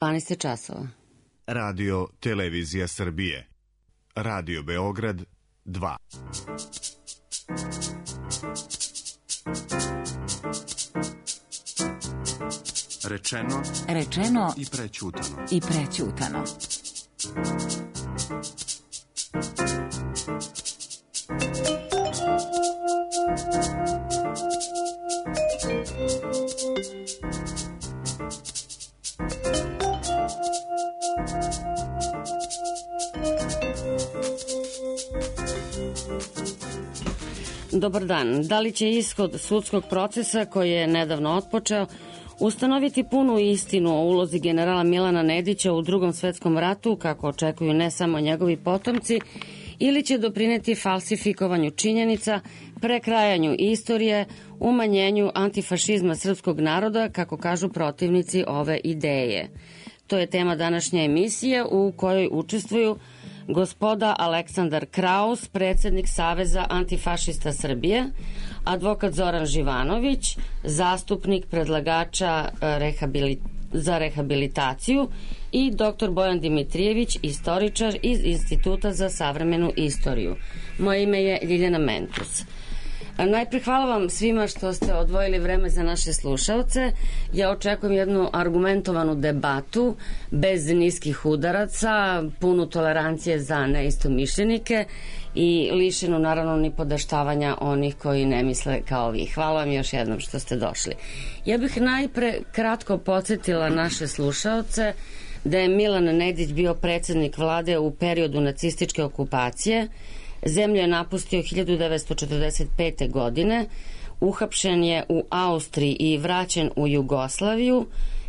12 časova. Radio Televizija Srbije. Radio Beograd 2. Rečeno i prećutano. Dobar dan. Da li će ishod sudskog procesa koji je nedavno otpočeo ustanoviti punu istinu o ulozi generala Milana Nedića u Drugom svetskom ratu, kako očekuju ne samo njegovi potomci, ili će doprineti falsifikovanju činjenica, prekrajanju istorije, umanjenju antifašizma srpskog naroda, kako kažu protivnici ove ideje? To je tema današnje emisije u kojoj učestvuju gospoda Aleksandar Kraus, predsednik Saveza antifašista Srbije, advokat Zoran Živanović, zastupnik predlagača za rehabilitaciju i dr. Bojan Dimitrijević, istoričar iz Instituta za savremenu istoriju. Moje ime je Ljiljana Mentus. Najpre hvala vam svima što ste odvojili vreme za naše slušaoce. Ja očekujem jednu argumentovanu debatu bez niskih udaraca, punu tolerancije za neistomišljenike i lišenu naravno ni podaštavanja onih koji ne misle kao vi. Hvala vam još jednom što ste došli. Ja bih najpre kratko podsjetila naše slušaoce da je Milan Nedić bio predsednik vlade u periodu nacističke okupacije. Zemlju je napustio 1945. godine, uhapšen je u Austriji i vraćen u Jugoslaviju.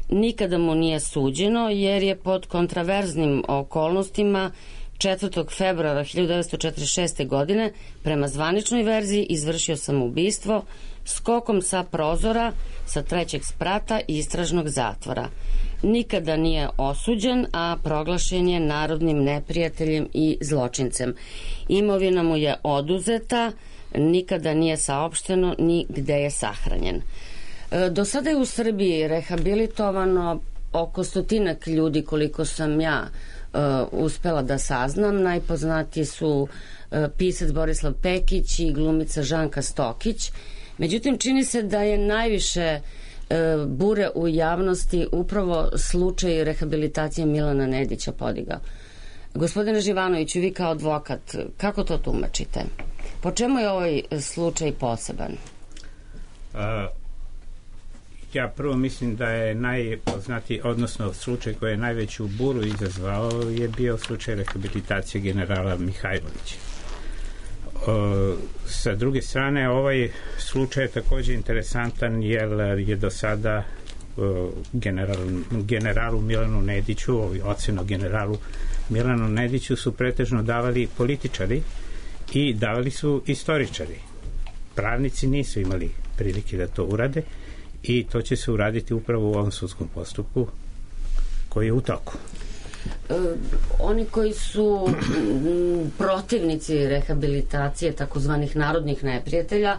Nikada mu nije suđeno jer je pod kontraverznim okolnostima 4. februara 1946. godine prema zvaničnoj verziji izvršio samoubistvo skokom sa prozora sa 3. sprata istražnog zatvora. Nikada nije osuđen, a proglašen je narodnim neprijateljem i zločincem. Imovina mu je oduzeta, nikada nije saopšteno ni gde je sahranjen. Do sada je u Srbiji rehabilitovano oko 100 ljudi, koliko sam ja uspela da saznam. Najpoznatiji su pisac Borislav Pekić i glumica Žanka Stokić. Međutim, čini se da je najviše bure u javnosti upravo slučaj rehabilitacije Milana Nedića podigao. Gospodine Živanoviću, vi kao advokat, kako to tumačite? Po čemu je ovaj slučaj poseban? Ja prvo mislim da je najpoznatiji, odnosno slučaj koji je najveću buru izazvao je bio slučaj rehabilitacije generala Mihajlovića. Sa druge strane, ovaj slučaj je takođe interesantan jer je do sada generalu Milanu Nediću, ocenu generalu Milanu Nediću su pretežno davali političari i davali su istoričari. Pravnici nisu imali prilike da to urade i to će se uraditi upravo u ovom sudskom postupku koji je u toku. Oni koji su protivnici rehabilitacije takozvanih narodnih neprijatelja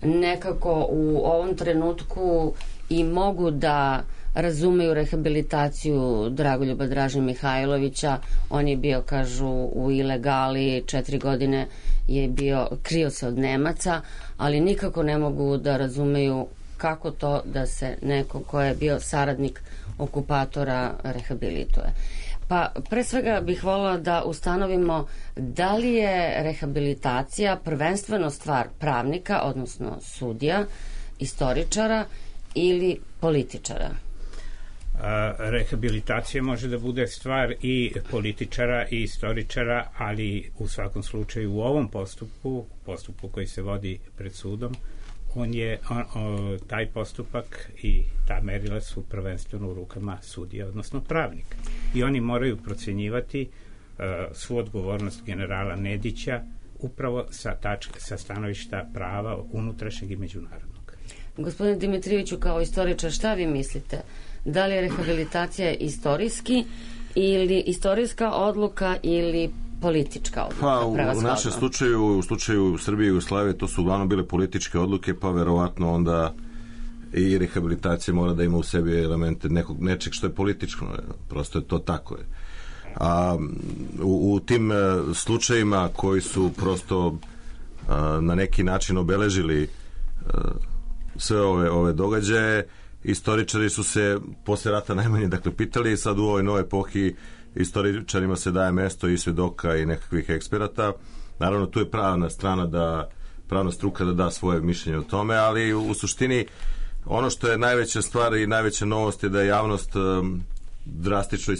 nekako u ovom trenutku i mogu da razumeju rehabilitaciju Dragoljuba Draže Mihajlovića. On je bio, kažu, u ilegali, 4 godine je bio, krio se od Nemaca, ali nikako ne mogu da razumeju kako to da se neko ko je bio saradnik okupatora rehabilituje. Pa pre svega bih voljela da ustanovimo da li je rehabilitacija prvenstveno stvar pravnika, odnosno sudija, istoričara ili političara? Rehabilitacija može da bude stvar i političara i istoričara, ali u svakom slučaju u ovom postupku koji se vodi pred sudom, taj postupak i ta merila su prvenstveno u rukama sudija, odnosno pravnika. I oni moraju procenjivati svu odgovornost generala Nedića upravo sa stanovišta prava unutrašnjeg i međunarodnog. Gospodine Dimitrijeviću, kao istoričar, šta vi mislite? Da li je rehabilitacija istorijska odluka ili politička odluka? Pa, u našem slučaju, u slučaju Srbije i Jugoslavije, to su uglavnom bile političke odluke, pa verovatno onda i rehabilitacija mora da ima u sebi elemente nečeg što je političko, prosto je to tako. A u tim slučajima koji su prosto na neki način obeležili sve ove događaje, istoričari su se posle rata najmanje pitali, sad u ovoj novoj epohi istoričarima se daje mesto i svedoka i nekakvih eksperata. Naravno, tu je pravna struka da da svoje mišljenje o tome, ali u suštini ono što je najveća stvar i najveća novost je da je javnost drastično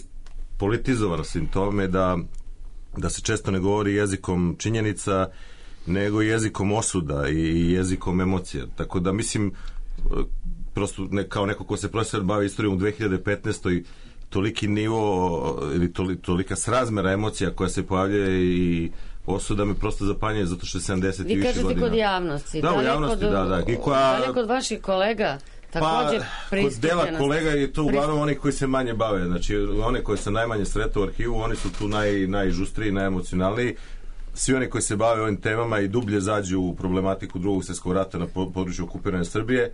politizovana svim tome, da se često ne govori jezikom činjenica, nego jezikom osuda i jezikom emocija. Tako da mislim, prosto kao neko ko se profesor bavi istorijom u 2015. toliki nivo ili tolika srazmera emocija koja se pojavlja i osuda me prosto zapanjuje, zato što je 70 i više godina. Vi kažete kod javnosti. Da, u javnosti, da. Da li kod vaših kolega također pristupljena? Kod dela kolega je to uglavnom oni koji se manje bave. Znači, one koji se najmanje sreta u arhivu, oni su tu najžustriji, najemocionalniji. Svi oni koji se bave ovim temama i dublje zađu u problematiku Drugog svjetskog rata na području okupirane Srbije,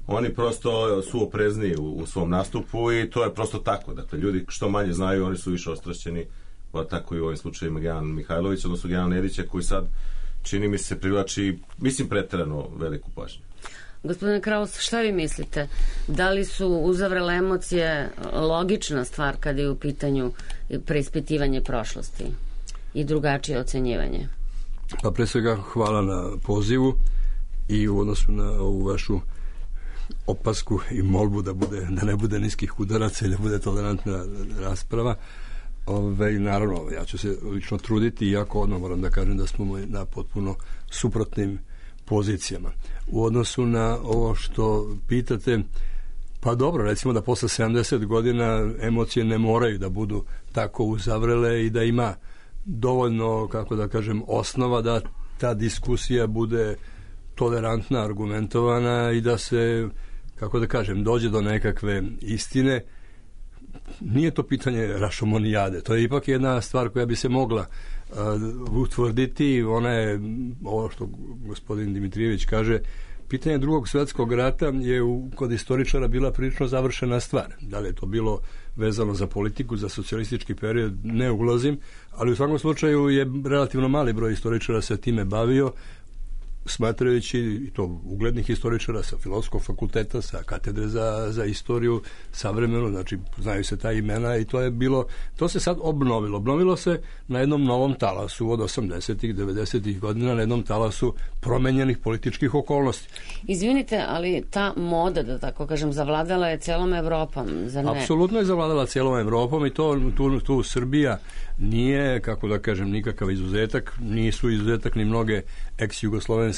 oni prosto su oprezniji u svom nastupu i to je prosto tako. Dakle, ljudi što manje znaju, oni su više ostrašćeni, pa tako i u ovim slučajima Gejan Mihajlović, odnosno Gejan Nedića, koji sad, čini mi se, privlači, mislim, preterano veliku pažnju. Gospodine Kraus, šta vi mislite? Da li su uzavrele emocije logična stvar kada je u pitanju preispitivanje prošlosti i drugačije ocenjivanje? Pa pre svega hvala na pozivu i u odnosu na ovu vašu opasku i molbu da ne bude niskih udaraca i da bude tolerantna rasprava. Naravno, ja ću se lično truditi, iako odmah moram da kažem da smo na potpuno suprotnim pozicijama. U odnosu na ovo što pitate, pa dobro, recimo da posle 70 godina emocije ne moraju da budu tako uzavrele i da ima dovoljno, kako da kažem, osnova da ta diskusija bude tolerantna, argumentovana i da se, kako da kažem, dođe do nekakve istine. Nije to pitanje rašomonijade, to je ipak jedna stvar koja bi se mogla utvrditi. Ona je, ovo što gospodin Dimitrijević kaže, pitanje Drugog svjetskog rata je kod istoričara bila prilično završena stvar. Da li je to bilo vezano za politiku, za socijalistički period, ne ulazim, ali u svakom slučaju je relativno mali broj istoričara se time bavio, smatrajući, i to uglednih istoričara sa Filozofskog fakulteta, sa katedre za istoriju savremenu, znači znaju se ta imena i to je bilo, to se sad obnovilo se na jednom novom talasu od 80-ih, 90-ih godina, na jednom talasu promenjenih političkih okolnosti. Izvinite, ali ta moda, da tako kažem, zavladala je celom Evropom, zar ne? Apsolutno je zavladala celom Evropom i tu Srbija nije, kako da kažem, nikakav izuzetak, nisu izuzetak ni mnoge ex-jugoslovenske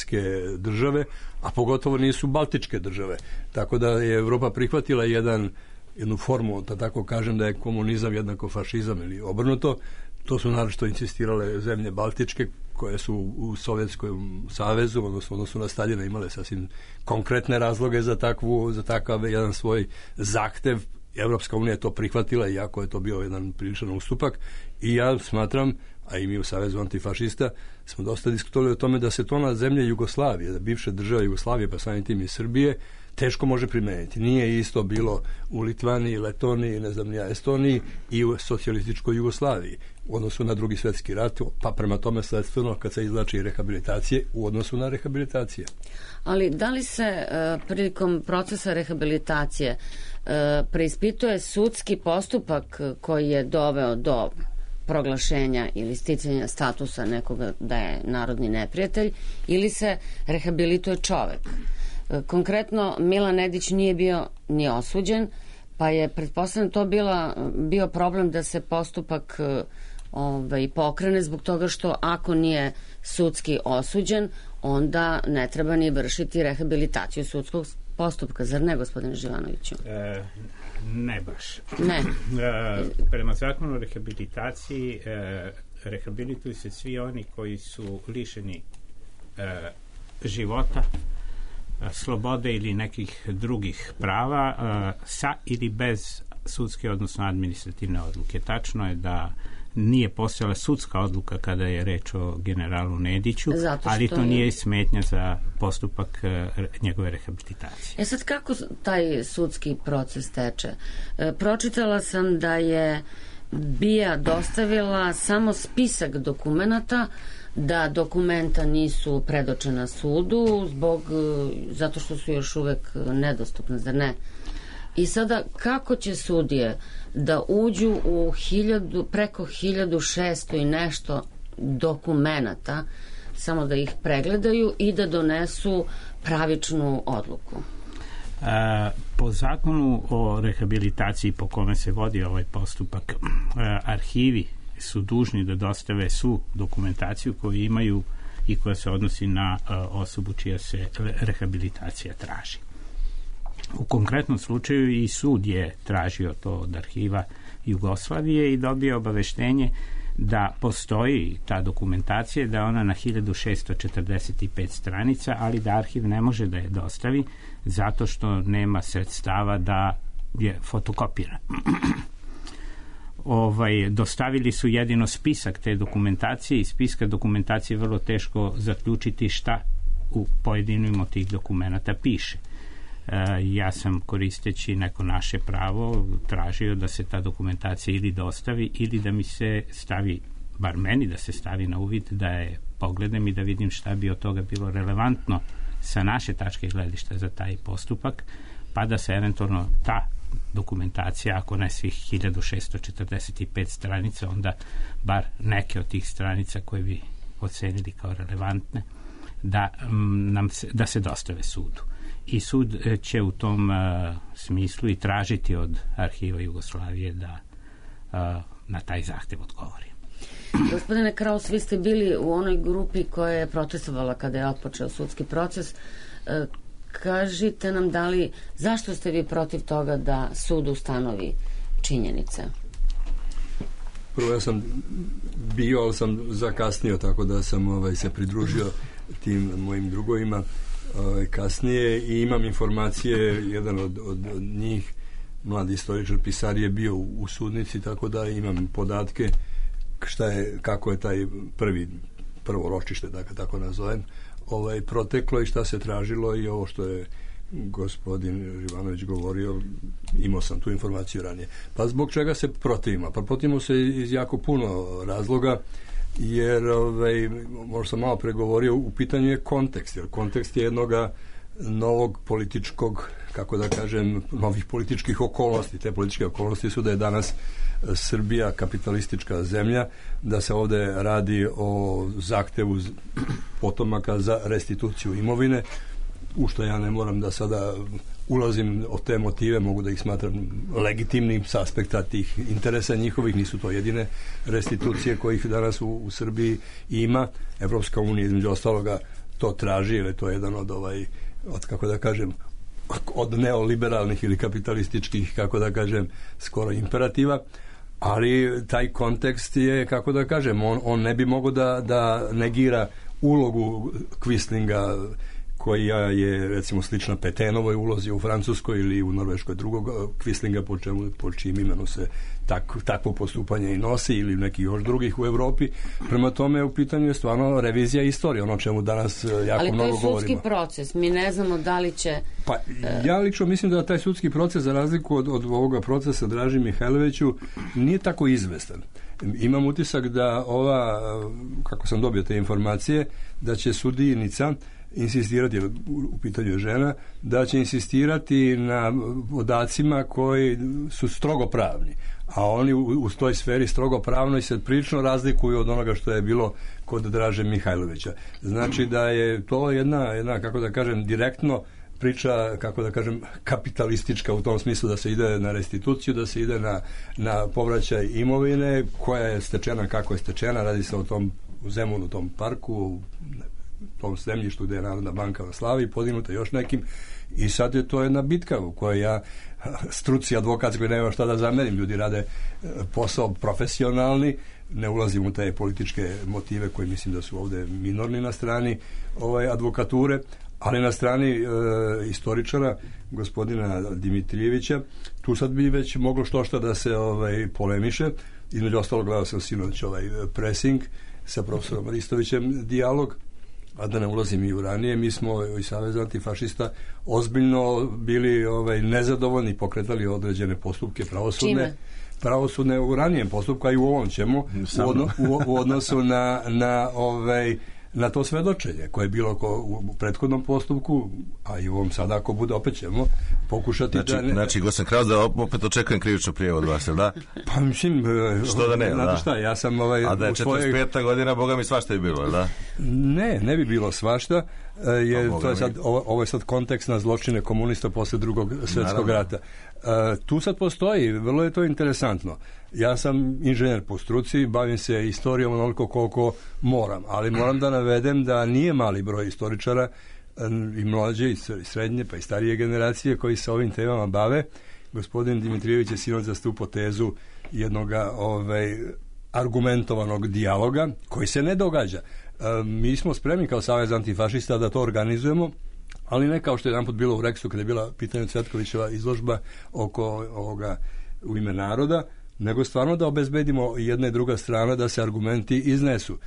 države, a pogotovo nisu baltičke države. Tako da je Evropa prihvatila jednu formu, da tako kažem, da je komunizam jednako fašizam ili obrnuto. To su naročito insistirale zemlje baltičke koje su u Sovjetskom savezu, odnosno na Staljina, imale sasvim konkretne razloge za takav jedan svoj zahtev. Evropska unija je to prihvatila, iako je to bio jedan priličan ustupak, i ja smatram, a i mi u Savezu antifašista smo dosta diskutovali o tome da se to na zemlje Jugoslavije, da bivše države Jugoslavije, pa samim tim i Srbije, teško može primeniti. Nije isto bilo u Litvaniji, Letoniji, ne znam ja, Estoniji i u socijalističkoj Jugoslaviji u odnosu na Drugi svjetski rat, pa prema tome sledstveno kad se izvlači rehabilitacije u odnosu na rehabilitacije. Ali da li se prilikom procesa rehabilitacije preispituje sudski postupak koji je doveo do proglašenja ili sticanja statusa nekoga da je narodni neprijatelj, ili se rehabilituje čovek? Konkretno, Milan Nedić nije bio ni osuđen, pa je pretpostavljeno to bio problem da se postupak pokrene zbog toga što ako nije sudski osuđen, onda ne treba ni vršiti rehabilitaciju sudskog postupka, zar ne, gospodine Živanoviću? Ne baš. Ne. Prema zakonu o rehabilitaciji rehabilituju se svi oni koji su lišeni života, slobode ili nekih drugih prava sa ili bez sudske, odnosno administrativne odluke. Tačno je da nije postojala sudska odluka kada je reč o generalu Nediću, ali to nije smetnja za postupak njegove rehabilitacije. Sad kako taj sudski proces teče? Pročitala sam da je BIA dostavila samo spisak dokumenata, da dokumenta nisu predočena sudu zato što su još uvek nedostupne, zar ne? I sada kako će sudije da uđu u preko 1600 i nešto dokumenata, samo da ih pregledaju i da donesu pravičnu odluku? Po zakonu o rehabilitaciji po kome se vodi ovaj postupak, arhivi su dužni da dostave svu dokumentaciju koju imaju i koja se odnosi na osobu čija se rehabilitacija traži. U konkretnom slučaju i sud je tražio to od arhiva Jugoslavije i dobio obaveštenje da postoji ta dokumentacija, da je ona na 1645 stranica, ali da arhiv ne može da je dostavi zato što nema sredstava da je fotokopira. Dostavili su jedino spisak te dokumentacije i spiska dokumentacije je vrlo teško zaključiti šta u pojedinim od tih dokumenta piše. Ja sam, koristeći neko naše pravo, tražio da se ta dokumentacija ili dostavi ili da mi se stavi, bar meni da se stavi na uvid, da je pogledam i da vidim šta bi od toga bilo relevantno sa naše tačke gledišta za taj postupak, pa da se eventualno ta dokumentacija, ako ne svih 1645 stranica, onda bar neke od tih stranica koje bi ocenili kao relevantne, da se dostave sudu. I sud će u tom smislu i tražiti od arhiva Jugoslavije da na taj zahtev odgovori. Gospodine Kraus, vi ste bili u onoj grupi koja je protestovala kada je otpočeo sudski proces. Kažite nam zašto ste vi protiv toga da sud ustanovi činjenice? Prvo, ja sam bio, ali sam zakasnio, tako da sam se pridružio tim mojim drugovima kasnije i imam informacije, jedan od njih, mladi istoričar, pisar, je bio u sudnici, tako da imam podatke kako je taj prvo ročište, da ga tako nazovem, proteklo i šta se tražilo i ovo što je gospodin Živanović govorio, imao sam tu informaciju ranije. Pa zbog čega se protivimo? Pa protivimo se iz jako puno razloga, jer možda sam malo pregovorio, u pitanju je kontekst, jer kontekst je jednoga novog političkog, kako da kažem, novih političkih okolnosti. Te političke okolnosti su da je danas Srbija kapitalistička zemlja, da se ovde radi o zahtevu potomaka za restituciju imovine, u što ja ne moram da sada ulazim o te motive, mogu da ih smatram legitimnim s aspekta tih interesa njihovih, nisu to jedine restitucije kojih danas u Srbiji ima. Evropska unija između ostaloga to traži, jer je to jedan od kako da kažem, od neoliberalnih ili kapitalističkih, kako da kažem, skoro imperativa, ali taj kontekst je, kako da kažem, on ne bi mogao da negira ulogu Quislinga, koja je, recimo, slična Petenovoj ulozi u Francuskoj ili u Norveškoj, drugog Quislinga, po čijim imenu se takvo postupanje i nosi, ili neki još drugih u Evropi. Prema tome, u pitanju je stvarno revizija istorije, ono čemu danas jako mnogo govorimo. Ali to je sudski proces, mi ne znamo da li će... Pa, ja lično mislim da taj sudski proces, za razliku od ovoga procesa Draži Mihajloviću, nije tako izvestan. Imam utisak da kako sam dobio te informacije, da će sudijnica insistirati, u pitanju je žena, da će insistirati na podacima koji su strogo pravni, a oni u toj sferi strogo pravnoj se prilično razlikuju od onoga što je bilo kod Draže Mihajlovića. Znači da je to jedna, kako da kažem, direktno priča, kako da kažem, kapitalistička, u tom smislu da se ide na restituciju, da se ide na povraćaj imovine koja je stečena kako je stečena, radi se o tom Zemunu, tom parku, tom zemljištu gde je Narodna banka na Slavi, podignuta još nekim, i sad je to jedna bitka u kojoj ja, struci advokatskoj, nema šta da zamerim, ljudi rade posao profesionalni, ne ulazim u te političke motive koji mislim da su ovde minorni na strani advokature, ali na strani istoričara, gospodina Dimitrijevića, tu sad bi već moglo što da se polemiše, Između ostalo gledao sam sinoć Pressing sa profesorom Ristovićem, dijalog, a da ne ulazim i u ranije, mi smo i Savez antifašista ozbiljno bili nezadovoljni, pokretali određene postupke pravosudne u ranijem postupku, a i u ovom ćemo u odnosu na to svedočenje koje je bilo u prethodnom postupku, a i u ovom sada ako bude opet ćemo pokušati Znači, Gosan Kraus, da opet očekujem krivičnu prijavu od vas, da? Pa mislim, što da ne, znate šta, ja sam a da je 45. godina, boga mi svašta je bilo, da? Ne bi bilo svašta, ovo je sad kontekst na zločine komunista posle Drugog svjetskog rata. Tu sad postoji, vrlo je to interesantno. Ja sam inženjer po struci, bavim se istorijom onoliko koliko moram, ali moram da navedem da nije mali broj istoričara i mlađe i srednje pa i starije generacije koji se ovim temama bave. Gospodin Dimitrijević je sinoć zastupao tezu jednog argumentovanog dijaloga koji se ne događa. Mi smo spremni kao Savez antifašista da to organizujemo, ali ne kao što je jedanput bilo u Reksu kada je bila pitanje Cvetkovićeva izložba oko ovoga U ime naroda, nego stvarno da obezbedimo jedna i druga strana da se argumenti iznesu.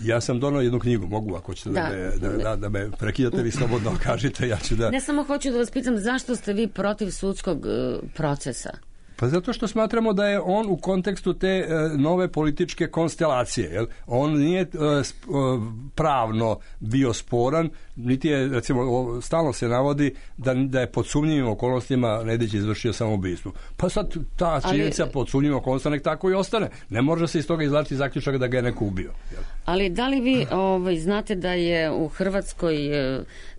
Ja sam donao jednu knjigu, mogu ako ćete da me prekidate, vi slobodno kažete, ja ću da... Ne samo hoću da vas pitam zašto ste vi protiv sudskog procesa? Pa zato što smatramo da je on u kontekstu te nove političke konstelacije. Jel? On nije pravno bio sporan, niti je, recimo, stalno se navodi da je pod sumnjivim okolnostima Nedić izvršio samoubistvo. Pa sad ta činjenica pod sumnjivim okolnostima nek tako i ostane. Ne može se iz toga izvlačiti zaključak da ga je neko ubio. Jel? Ali da li vi znate da je u Hrvatskoj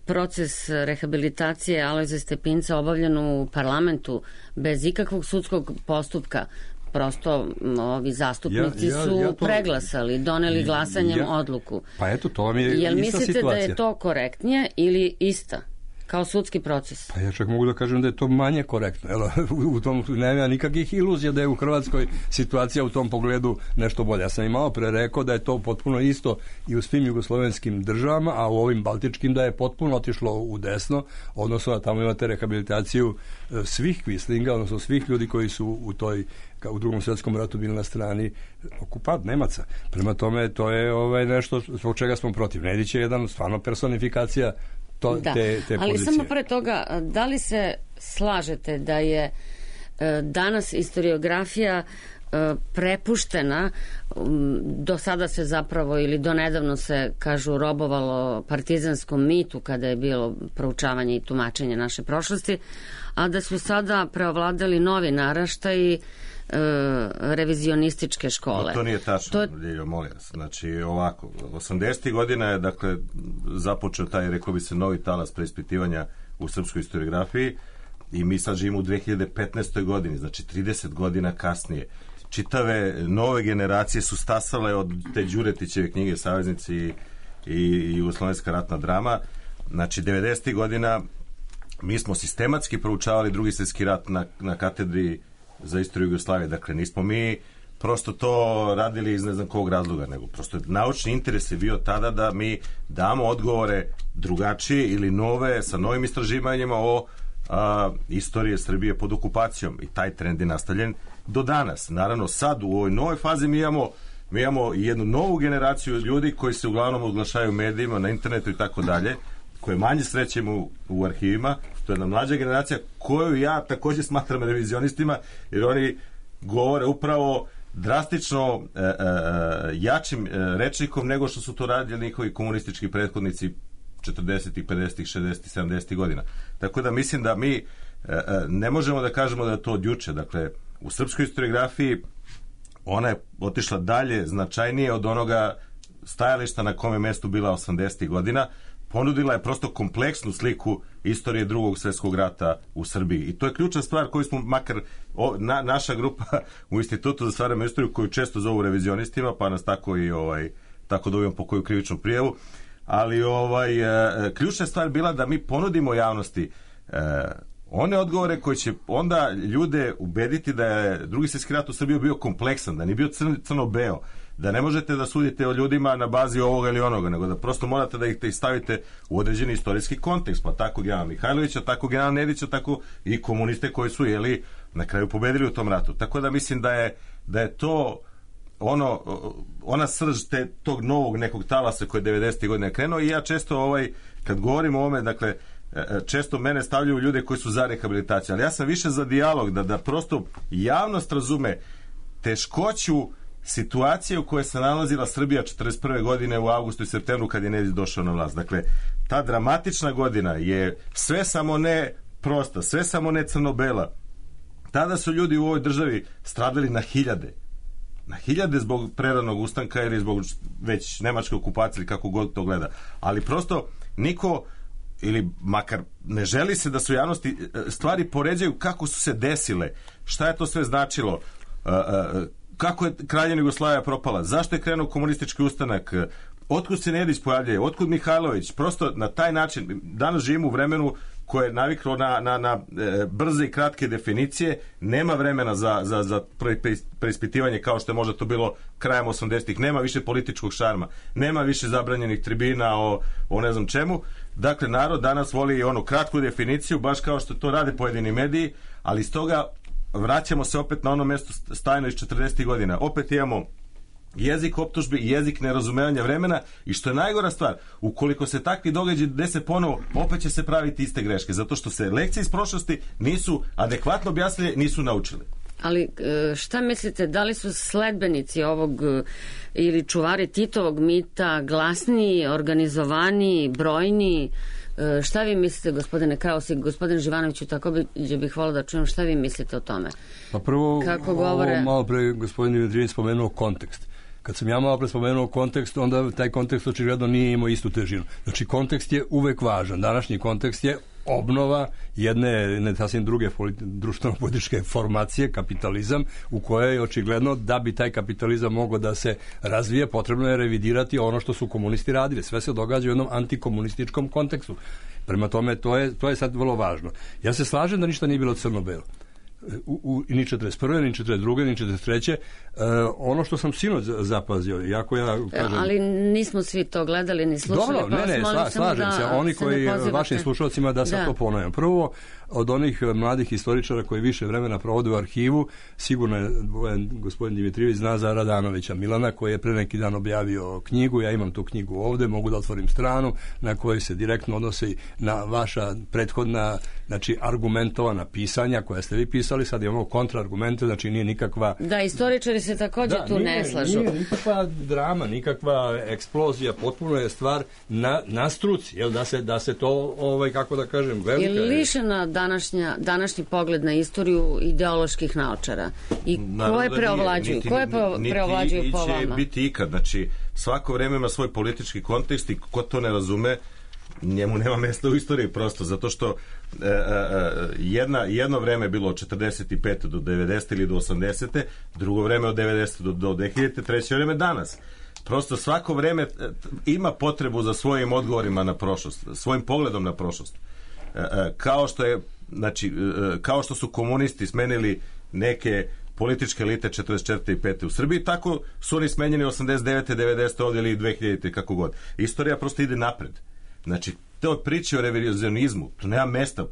proces rehabilitacije Alojza Stepinca obavljen u parlamentu bez ikakvog sudskog postupka? Prosto ovi zastupnici su preglasali, doneli glasanjem odluku. Pa eto, to vam je ista situacija. Jel mislite da je to korektnije ili ista? Kao sudski proces. Pa ja čak mogu da kažem da je to manje korektno. U tom nema nikakvih iluzija da je u Hrvatskoj situacija u tom pogledu nešto bolje. Ja sam i malo pre rekao da je to potpuno isto i u svim jugoslovenskim državama, a u ovim baltičkim da je potpuno otišlo u desno, odnosno da tamo imate rehabilitaciju svih kvislinga, odnosno svih ljudi koji su u Drugom svjetskom ratu bili na strani okupat Nemaca. Prema tome, to je nešto zbog čega smo protiv. Nedić je jedan stvarno personifikacija te ali pozicije. Samo pre toga, da li se slažete da je danas historiografija prepuštena, do sada se zapravo ili do nedavno se, kažu, robovalo partizanskom mitu kada je bilo proučavanje i tumačenje naše prošlosti, a da su sada preovladali novi naraštaji revizionističke škole. To nije tačno, Ljiljo, molim vas. Znači, ovako, 80. godina je, dakle, započeo taj, rekao bi se, novi talas preispitivanja u srpskoj historiografiji i mi sad živimo u 2015. godini, znači 30 godina kasnije. Čitave nove generacije su stasale od te Đuretićeve knjige Saveznici i Jugoslovenska ratna drama. Znači, 90. godina mi smo sistematski proučavali Drugi svjetski rat na katedri za istoriju Jugoslavije. Dakle, nismo mi prosto to radili iz ne znam kog razloga, nego prosto naučni interes je bio tada da mi damo odgovore drugačije ili nove, sa novim istraživanjima o istorije Srbije pod okupacijom. I taj trend je nastavljen do danas. Naravno, sad u ovoj novoj fazi mi imamo jednu novu generaciju ljudi koji se uglavnom oglašaju u medijima, na internetu i tako dalje, koje manje srećemo u arhivima. To je jedna mlađa generacija koju ja također smatram revizionistima, jer oni govore upravo drastično jačim rečnikom nego što su to radili njihovi komunistički prethodnici 40. 50. 60. 70. godina. Tako da mislim da mi ne možemo da kažemo da je to od juče. Dakle, u srpskoj historiografiji ona je otišla dalje, značajnije od onoga stajališta na kome mestu bila 80. godina. Ponudila je prosto kompleksnu sliku istorije Drugog svjetskog rata u Srbiji. I to je ključna stvar koju smo, makar naša grupa u Institutu za savremenu istoriju, koju često zovu revizionistima, pa nas tako i tako dobijemo po koju krivičnu prijavu. Ali ključna stvar bila da mi ponudimo javnosti one odgovore koji će onda ljude ubediti da je Drugi svjetski rat u Srbiji bio kompleksan, da nije bio crno-beo, da ne možete da sudite o ljudima na bazi ovoga ili onoga, nego da prosto morate da ih stavite u određeni istorijski kontekst, pa tako generala Mihajlovića, tako generala Nedića, tako i komuniste koji su na kraju pobedili u tom ratu. Tako da mislim da je to ona srž tog novog nekog talasa koji je 90. godine krenuo. I ja često kad govorim o ovome, dakle, često mene stavljaju ljude koji su za rehabilitaciju, ali ja sam više za dijalog, da prosto javnost razume teškoću situacije u kojoj se nalazila Srbija 41. godine u avgustu i septembru kad je Nedić došao na vlast. Dakle, ta dramatična godina je sve samo ne prosta, sve samo ne crno-bela. Tada su ljudi u ovoj državi stradali na hiljade zbog preranog ustanka ili zbog već nemačke okupacije ili kako god to gleda. Ali prosto niko, ili makar ne želi se da su javnosti stvari poređaju kako su se desile, šta je to sve značilo, kako je Kraljevina Jugoslavija propala, zašto je krenuo komunistički ustanak, otkud se Nedić pojavljuje, otkud Mihajlović. Prosto na taj način danas živimo u vremenu koje je naviklo na brze i kratke definicije, nema vremena za preispitivanje kao što je možda to bilo krajem 80-ih, nema više političkog šarma, nema više zabranjenih tribina o ne znam čemu. Dakle, narod danas voli onu kratku definiciju, baš kao što to rade pojedini mediji, ali iz toga vraćamo se opet na ono mesto stajno iz 40. godina. Opet imamo jezik optužbe i jezik nerazumevanja vremena i što je najgora stvar, ukoliko se takvi događaji dese ponovo, opet će se praviti iste greške, zato što se lekcije iz prošlosti nisu adekvatno objasnile, nisu naučili. Ali šta mislite, da li su sledbenici ovog ili čuvari Titovog mita glasniji, organizovaniji, brojniji? Šta vi mislite, gospodine Kraus i gospodine Živanoviću, tako bih volao da čujem šta vi mislite o tome? Pa prvo, malo pre gospodin Dimitrijević spomenuo kontekst. Kad sam ja malo pre spomenuo kontekst, onda taj kontekst očigledno nije imao istu težinu. Znači, kontekst je uvek važan. Današnji kontekst je obnova jedne sasvim druge društveno-političke formacije, kapitalizam, u kojoj je očigledno da bi taj kapitalizam mogao da se razvije, potrebno je revidirati ono što su komunisti radili. Sve se događa u jednom antikomunističkom kontekstu. Prema tome, to je sad vrlo važno. Ja se slažem da ništa nije bilo crno-belo. Ni 41. ni 42. ni 43. Ono što sam sinoć zapazio, iako ja kažem... Ali nismo svi to gledali ni slušali. Dobro, slažem se. Oni koji vašim slušalcima da sad to ponavljam. Prvo, od onih mladih historičara koji više vremena provode u arhivu, sigurno je gospodin Dimitrijević zna za Radanovića Milana, koji je pre neki dan objavio knjigu. Ja imam tu knjigu ovde, mogu da otvorim stranu na kojoj se direktno odnosi na vaša prethodna, znači argumentovana pisanja koja ste vi pisali. Sad imamo kontraargumente, znači nije nikakva... Da, istoričari se također tu ne slažu. Nije nikakva drama, nikakva eksplozija, potpuno je stvar na struci, jel, da se to, kako da kažem, velika... Je lišena današnji pogled na istoriju ideoloških naočara? I koje preovlađuju? Koje preovlađuju po vama? Niti će biti ikad. Znači, svako vreme ima svoj politički kontekst i ko to ne razume, njemu nema mesta u istoriji, prosto zato što jedno vreme je bilo od 45. do 90. ili do 80. drugo vreme od 90. do 2000. treće vreme danas. Prosto svako vreme ima potrebu za svojim odgovorima na prošlost, svojim pogledom na prošlost. Kao što su komunisti smenili neke političke elite 44. i 5. u Srbiji, tako su oni smenjeni 89. 90. ovdje ili 2000. kako god. Istorija prosto ide napred. Znači, te priče o revizionizmu, to nema mesta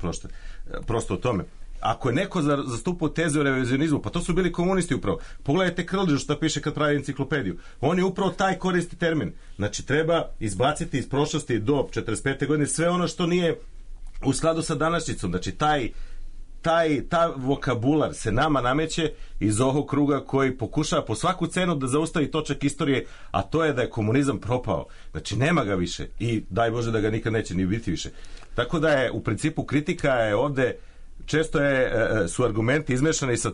prosto o tome. Ako je neko zastupao teze o revizionizmu, pa to su bili komunisti upravo. Pogledajte Krležu šta piše kad pravi enciklopediju. On je upravo taj koristi termin. Znači, treba izbaciti iz prošlosti do 45. godine sve ono što nije u skladu sa današnjicom. Znači, ta vokabular se nama nameće iz ovog kruga koji pokušava po svaku cenu da zaustavi točak istorije, a to je da je komunizam propao. Znači, nema ga više i daj Bože da ga nikad neće ni biti više. Tako da je u principu kritika je ovde često su argumenti izmešani sa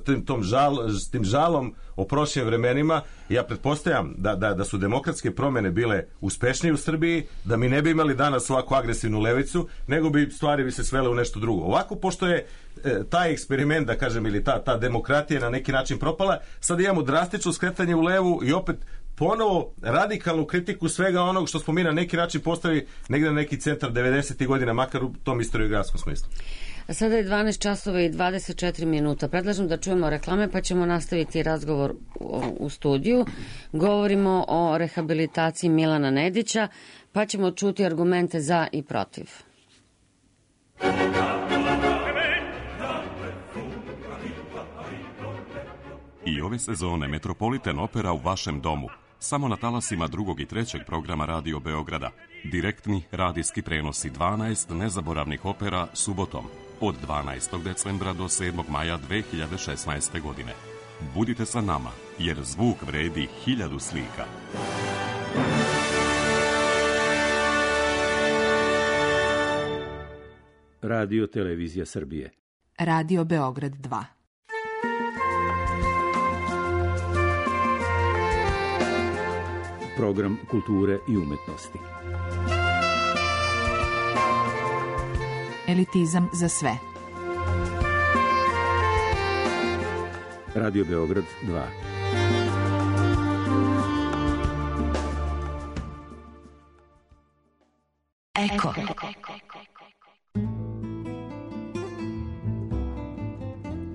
tim žalom o prošlim vremenima. Ja pretpostavljam da su demokratske promjene bile uspešnije u Srbiji, da mi ne bi imali danas ovako agresivnu levicu, nego stvari bi se svele u nešto drugo. Ovako, pošto je taj eksperiment, da kažem, ili ta demokratija na neki način propala, sad imamo drastično skretanje u levu i opet ponovo radikalnu kritiku svega onog što smo mi na neki način postavili negde na neki centar 90. godina, makar u tom istoriografskom smislu. Sada je 12 časova i 24 minuta. Predlažem da čujemo reklame pa ćemo nastaviti razgovor u studiju. Govorimo o rehabilitaciji Milana Nedića pa ćemo čuti argumente za i protiv. I ove sezone Metropolitan Opera u vašem domu. Samo na talasima 2. i 3. programa Radio Beograda. Direktni radijski prenosi 12 nezaboravnih opera subotom od 12. decembra do 7. maja 2016. godine. Budite sa nama, jer zvuk vredi 1000 slika. Radio Televizija Srbije. Radio Beograd 2. Program kulture i umetnosti. Elitizam za sve. Radio Beograd 2. Eko.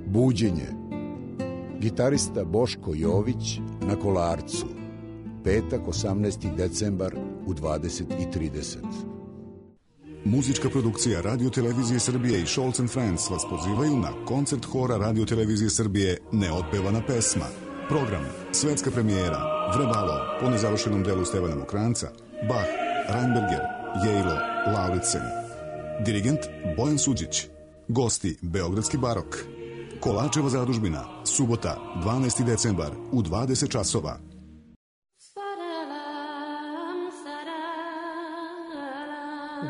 Buđenje. Gitarista Boško Jović na Kolarcu. Petak, 18. decembar u 20:30. Muzička produkcija Radio Televizije Srbije i Scholz & Friends vas pozivaju na koncert hora Radio Televizije Srbije Neotpevana pesma. Program, svetska premijera, Vrebalo, po nezavršenom delu Stevana Mokranca, Bach, Reinberger, Jejlo, Lauritsen. Dirigent Bojan Suđić. Gosti Beogradski barok. Kolačeva zadužbina, subota, 12. decembar u 20 časova.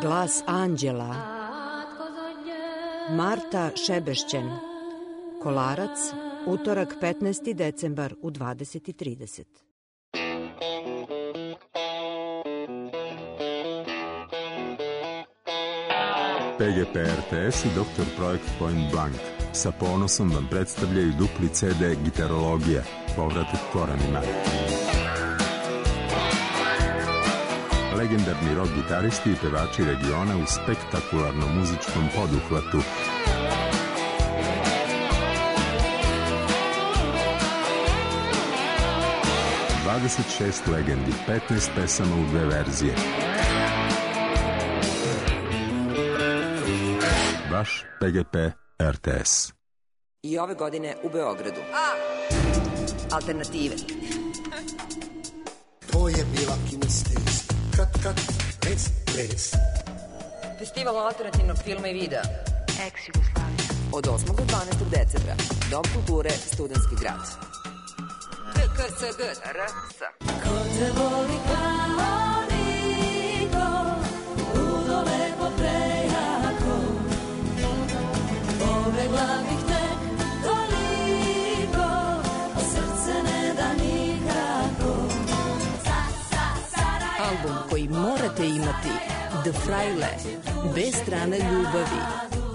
Glas anđela. Marta Šebešćen. Kolarac, utorak 15. decembar u 20:30. PGP RTS i Dr. Projekt Point Blank sa ponosom vam predstavljaju dupli CD Gitarologija, povratak korenima. Legendarni rock gitaristi i pevači regiona u spektakularnom muzičkom poduhvatu. ...26 legendi, 15 pesama u 2 verzije. Vaš PGP RTS. I ove godine u Beogradu. Alternative. To je bila Kinestez. Kat, les. Festival alternativnog filma i videa. Ex-Jugoslavija. Od 8. do 12. decembra. Dom kulture, Studentski grad. TKSG. RS. Ko te voli kao niko, udole po prejako, povegla bih te toliko, a srce ne da nikako. Album koji morate imati, The Fraile, bez strane ljubavi.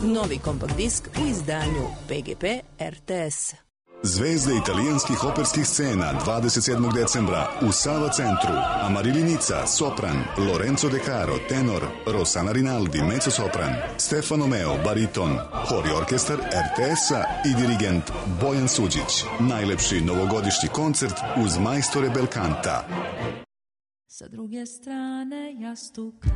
Novi kompakt disk u izdanju PGP RTS. Zvezde italijanskih operskih scena 27. decembra u Sava centru. Amarilli Nica, sopran, Lorenzo De Caro, tenor, Rossana Rinaldi, mezzosopran, Stefano Meo, bariton, hor i orkestar RTS-a i dirigent Bojan Suđić. Najlepši novogodišnji koncert uz majstore Belkanta. Sa druge strane jastuka.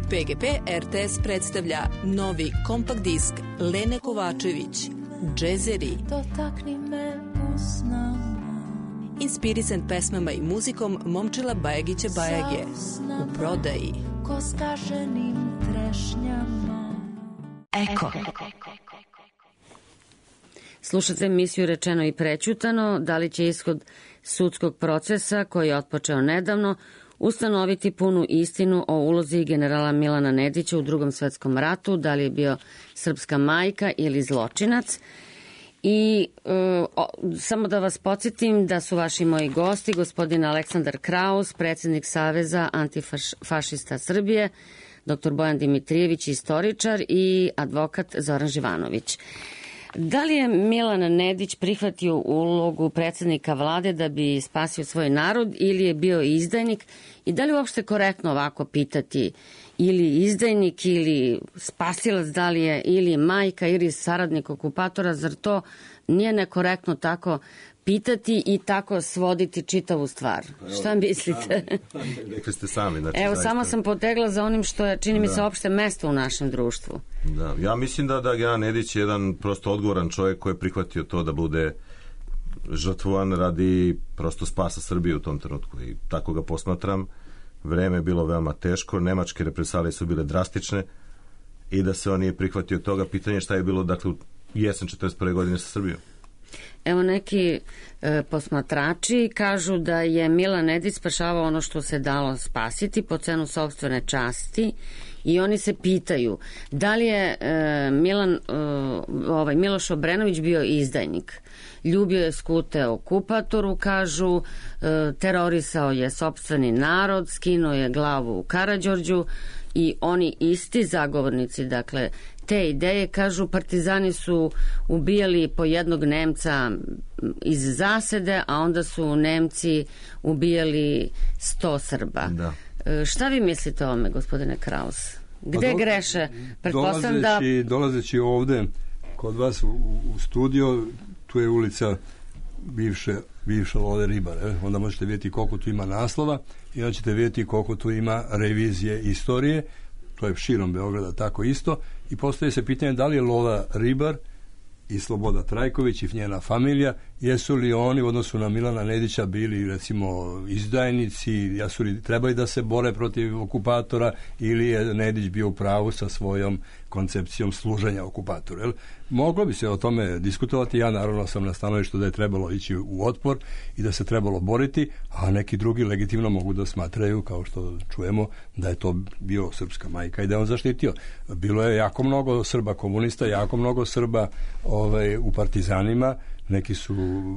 PGP RTS predstavlja novi kompakt disk Lene Kovačević, Džezeri. Dotakni me usnama. Inspirisan pesmama i muzikom Momčila Bajagića Bajage. U prodaji. Ko skaženim trešnjama. Eko. Slušate emisiju Rečeno i prećutano. Da li će ishod sudskog procesa koji je otpočeo nedavno ustanoviti punu istinu o ulozi generala Milana Nedića u Drugom svetskom ratu, da li je bio srpska majka ili zločinac. I samo da vas podsjetim da su vaši moji gosti gospodin Aleksandar Kraus, predsjednik Saveza antifašista Srbije, dr. Bojan Dimitrijević, istoričar, i advokat Zoran Živanović. Da li je Milan Nedić prihvatio ulogu predsjednika vlade da bi spasio svoj narod ili je bio izdajnik i da li je uopšte korektno ovako pitati ili izdajnik ili spasilac, da li je ili majka ili saradnik okupatora, zar to nije nekorektno tako pitati i tako svoditi čitavu stvar? Šta mislite? Rekli ste sami. Znači, evo, zaista... samo sam potegla za onim što je, čini mi se, opšte mesto u našem društvu. Da, ja mislim da general Nedić je jedan prosto odgovoran čovjek koji je prihvatio to da bude žrtvovan radi prosto spasa Srbije u tom trenutku i tako ga posmatram. Vreme je bilo veoma teško, nemačke represalije su bile drastične i da se on nije prihvatio toga, pitanje šta je bilo, dakle, u jesen 41. godine sa Srbijom. Evo, neki posmatrači kažu da je Milan Nedić spašavao ono što se dalo spasiti po cenu sopstvene časti i oni se pitaju da li je Miloš Obrenović bio izdajnik. Ljubio je skute okupatoru, kažu, terorisao je sopstveni narod, skinuo je glavu u Karađorđu i oni isti zagovornici, dakle, te ideje, kažu, partizani su ubijali po jednog Nemca iz zasede, a onda su Nemci ubijali 100 Srba. Da. Šta vi mislite o ovome, gospodine Kraus? Gde greše? Dolazeći ovde kod vas u studio, tu je ulica bivša Lode Ribare. Onda možete vidjeti koliko tu ima naslova i onda ćete vidjeti koliko tu ima revizije istorije. To je širom Beograda tako isto. I postoji se pitanje da li je Lola Ribar i Sloboda Trajković i njena familija, jesu li oni u odnosu na Milana Nedića bili, recimo, izdajnici, jesu li trebali da se bore protiv okupatora ili je Nedić bio u pravu sa svojom koncepcijom služenja okupatora. Jel? Moglo bi se o tome diskutovati, ja naravno sam na stanovištu da je trebalo ići u otpor i da se trebalo boriti, a neki drugi legitimno mogu da smatraju, kao što čujemo, da je to bio srpska majka i da je on zaštitio. Bilo je jako mnogo Srba komunista, jako mnogo Srba u partizanima, neki su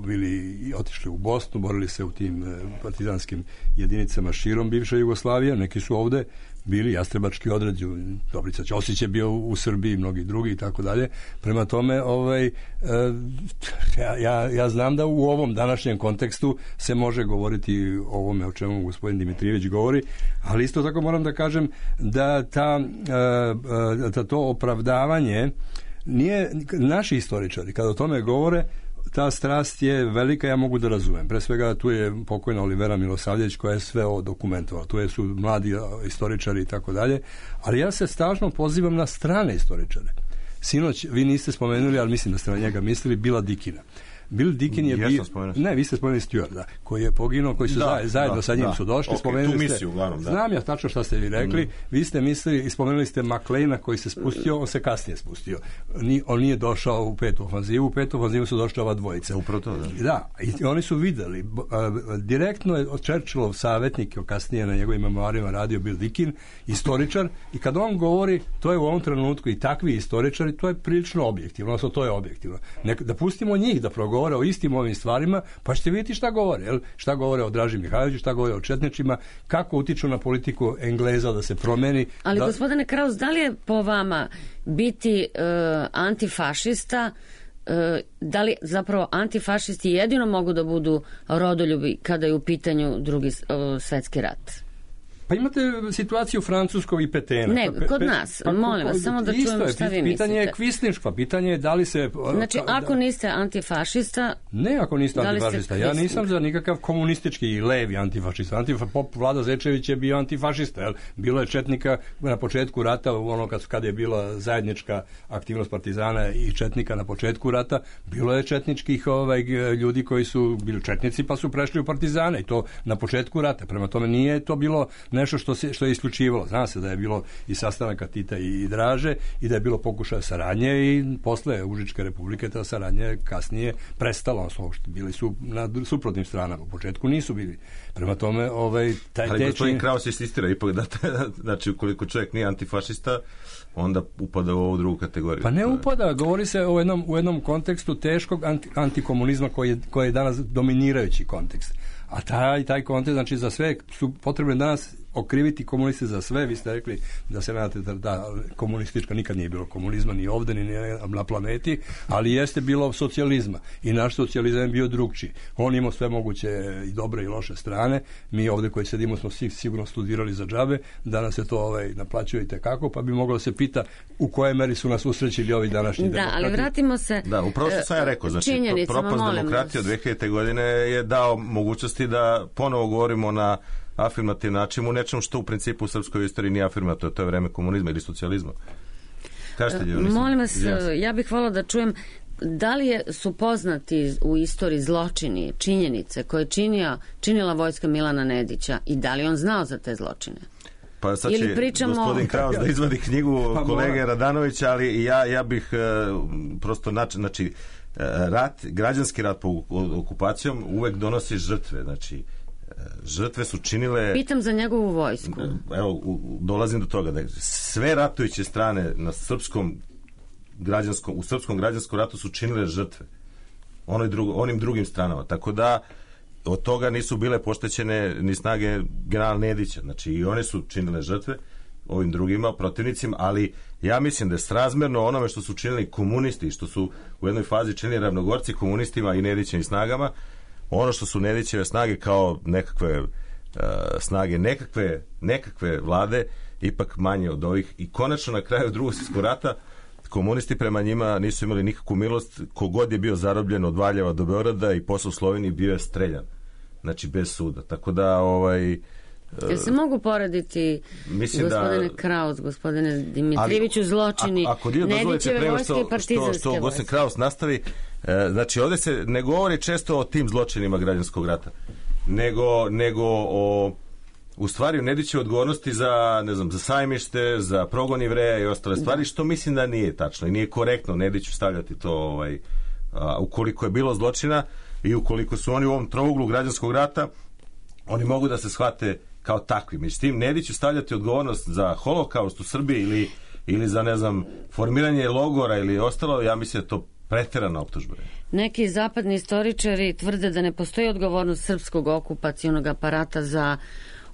bili otišli u Bosnu, borili se u tim partizanskim jedinicama širom bivše Jugoslavije, neki su ovde bili jastrebački odred, Dobrica Ćosić je bio u Srbiji, mnogi drugi i tako dalje. Prema tome, ja znam da u ovom današnjem kontekstu se može govoriti o ovome o čemu gospodin Dimitrijević govori, ali isto tako moram da kažem da to opravdavanje nije, naši istoričari kada o tome govore, ta strast je velika, ja mogu da razumem. Pre svega tu je pokojna Olivera Milosavljević koja je sve ovo dokumentovala. Tu su mladi istoričari i tako dalje. Ali ja se stalno pozivam na strane istoričare. Sinoć, vi niste spomenuli, ali mislim da ste na njega mislili, Bila Dikina. Bill Dikin je bio... Ne, vi ste spomenuli Stewarda, koji je poginuo, koji su zajedno sa njim su došli. Tu misiju, uglavnom, da. Znam ja tačno šta ste vi rekli. Vi ste mislili i spomenuli ste McLeana koji se spustio, on se kasnije spustio. On nije došao u petu ofanzivu. U petu ofanzivu su došli ova dvojica. Upravo to, da. Da, i oni su videli. Direktno je od Churchillov savjetnik, kasnije na njegovim memoarima radio Bill Dikin, istoričar, i kad on govori, to je u ovom trenutku i takvi istoričari, to je prilično objektivno, odnosno to je objektivno. Da pustimo njih da progovore o istim ovim stvarima, pa ćete vidjeti šta govore. Jel? Šta govore o Draži Mihajloviću, šta govore o četničima, kako utiču na politiku Engleza da se promeni. Ali gospodine Kraus, da li je po vama biti antifašista, da li zapravo antifašisti jedino mogu da budu rodoljubi kada je u pitanju Drugi svetski rat? Pa imate situaciju Francuskog i Petena. Ne, kod nas, molim vas, samo da čujem šta vi mislite. Pitanje je kvislinška, pitanje je da li se... Znači, ako niste antifašista... Ne, ako niste antifašista. Ja nisam za nikakav komunistički i levi antifašista. Vlada Zečević je bio antifašista. Jel? Bilo je četnika na početku rata, ono kad je bila zajednička aktivnost partizana i četnika na početku rata, bilo je četničkih ljudi koji su bili četnici pa su prešli u partizane i to na početku rata. Prema tome nije to bilo nešto što je isključivalo. Zna se da je bilo i sastanaka Tita i Draže i da je bilo pokušaja saradnje i posle Užičke republike ta saradnja kasnije prestala. Bili su na suprotnim stranama. U početku nisu bili. Prema tome, ali gospodin Kraus insistira ipak da znači ukoliko čovjek nije antifašista, onda upada u ovu drugu kategoriju. Pa ne upada, govori se u jednom kontekstu teškog antikomunizma koji je danas dominirajući kontekst. A taj kontekst, znači za sve su potrebne danas okriviti komuniste za sve. Vi ste rekli da se nadate da komunistička nikad nije bilo komunizma ni ovde ni na planeti, ali jeste bilo socijalizma i naš socijalizam je bio drugčiji. On imao sve moguće i dobre i loše strane. Mi ovde koji sedimo smo sigurno studirali za džabe, danas se to naplaćuje i tekako, pa bi moglo se pita u kojoj meri su nas usrećili ovi današnji demokrati. Da, ali vratimo se upravo što sam ja rekao, znači propast demokratije od 2000. godine je dao mogućnosti da ponovo govorimo na afirmativni način u nečem što u principu u srpskoj istoriji nije afirmativno, to je vreme komunizma ili socijalizma. Kažete li? Molim vas, ja bih hvala da čujem da li su poznati u istoriji zločini, činjenice koje je činila vojska Milana Nedića i da li on znao za te zločine? Pa sad će gospodin Kraus da izvadi knjigu kolege Radanovića, ali ja bih prosto znači građanski rat po okupacijom uvek donosi žrtve, znači žrtve su činile... Pitam za njegovu vojsku. Evo, dolazim do toga da sve ratujuće strane na u srpskom građanskom ratu su činile žrtve onim drugim stranama, tako da od toga nisu bile poštećene ni snage generala Nedića, znači i one su činile žrtve ovim drugima protivnicima, ali ja mislim da je srazmerno onome što su činili komunisti, što su u jednoj fazi činili ravnogorci komunistima i Nedićevim snagama, ono što su Nedićeve snage kao nekakve snage nekakve vlade ipak manje od ovih i konačno na kraju Drugog svjetskog rata komunisti prema njima nisu imali nikakvu milost, kogod je bio zarobljen od Valjeva do Beograda i posle u Sloveniji bio je streljan, znači bez suda, tako da Jel se mogu poraditi gospodine Kraus, gospodine Dimitrijeviću zločini Nedićeve vojske i partizanske vojske? Što gospodin Kraus nastavi, znači ovdje se ne govori često o tim zločinima građanskog rata, nego o u stvari u Nedićevoj odgovornosti za Sajmište, za progon Jevreja i ostale stvari, što mislim da nije tačno i nije korektno Nediću stavljati to ukoliko je bilo zločina i ukoliko su oni u ovom trouglu građanskog rata, oni mogu da se shvate kao takvi. Međutim, Nediću stavljati odgovornost za holokaust u Srbiji ili za, formiranje logora ili ostalo, ja mislim da to preterana optužba. Neki zapadni istoričari tvrde da ne postoji odgovornost srpskog okupacionog aparata za